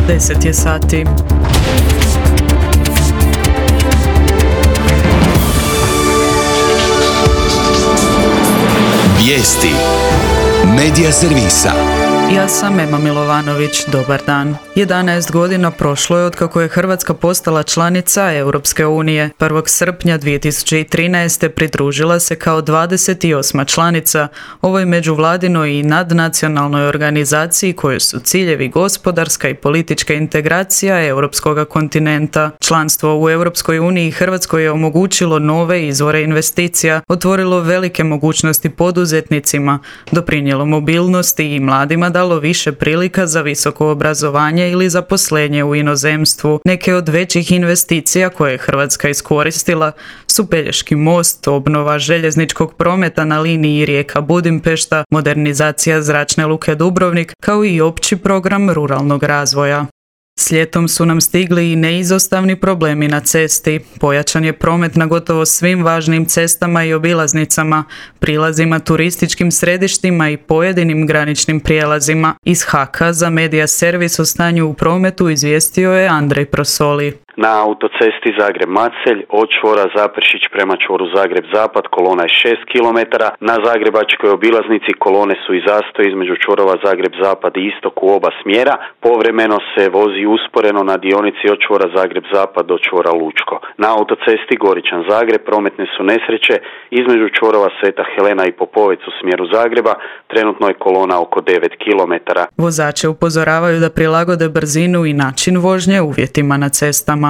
10 je sati. Vijesti Medija servisa. Ja sam Ema Milovanović, dobar dan. 11 godina prošlo je otkako je Hrvatska postala članica Europske unije. 1. srpnja 2013. pridružila se kao 28. članica ovoj međuvladinoj i nadnacionalnoj organizaciji kojoj su ciljevi gospodarska i politička integracija europskog kontinenta. Članstvo u Europskoj uniji Hrvatskoj je omogućilo nove izvore investicija, otvorilo velike mogućnosti poduzetnicima, doprinijelo mobilnosti i mladima dalo više prilika za visoko obrazovanje ili zaposlenje u inozemstvu. Neke od većih investicija koje je Hrvatska iskoristila su Pelješki most, obnova željezničkog prometa na liniji Rijeka-Budimpešta, modernizacija zračne luke Dubrovnik, kao i opći program ruralnog razvoja. S ljetom su nam stigli i neizostavni problemi na cesti. Pojačan je promet na gotovo svim važnim cestama i obilaznicama, prilazima, turističkim središtima i pojedinim graničnim prijelazima. Iz HAK-a za Medija servis o stanju u prometu izvijestio je Andrej Prosoli. Na autocesti Zagreb-Macelj od čvora Zaprešić prema čvoru Zagreb-Zapad kolona je 6 km, na Zagrebačkoj obilaznici kolone su i zastoj između čvorova Zagreb-Zapad i istok u oba smjera, povremeno se vozi usporeno na dionici od čvora Zagreb-Zapad do čvora Lučko. Na autocesti Goričan-Zagreb prometne su nesreće između čvorova Sveta Helena i Popovec u smjeru Zagreba, trenutno je kolona oko 9 km. Vozače upozoravaju da prilagode brzinu i način vožnje uvjetima na cestama.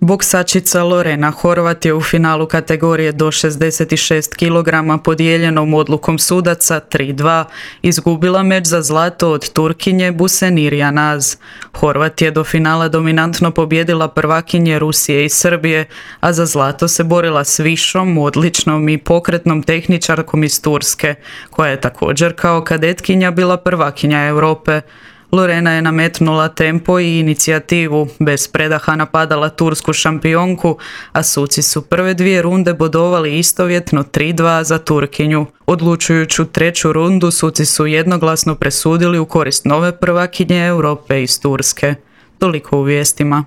Boksačica Lorena Horvat je u finalu kategorije do 66 kg podijeljenom odlukom sudaca 3-2 izgubila meč za zlato od Turkinje Busenir Janaz. Horvat je do finala dominantno pobjedila prvakinje Rusije i Srbije, a za zlato se borila s višom, odličnom i pokretnom tehničarkom iz Turske, koja je također kao kadetkinja bila prvakinja Europe. Lorena je nametnula tempo i inicijativu, bez predaha napadala tursku šampionku, a suci su prve dvije runde bodovali istovjetno 3-2 za Turkinju. Odlučujuću treću rundu suci su jednoglasno presudili u korist nove prvakinje Europe iz Turske. Toliko u vijestima.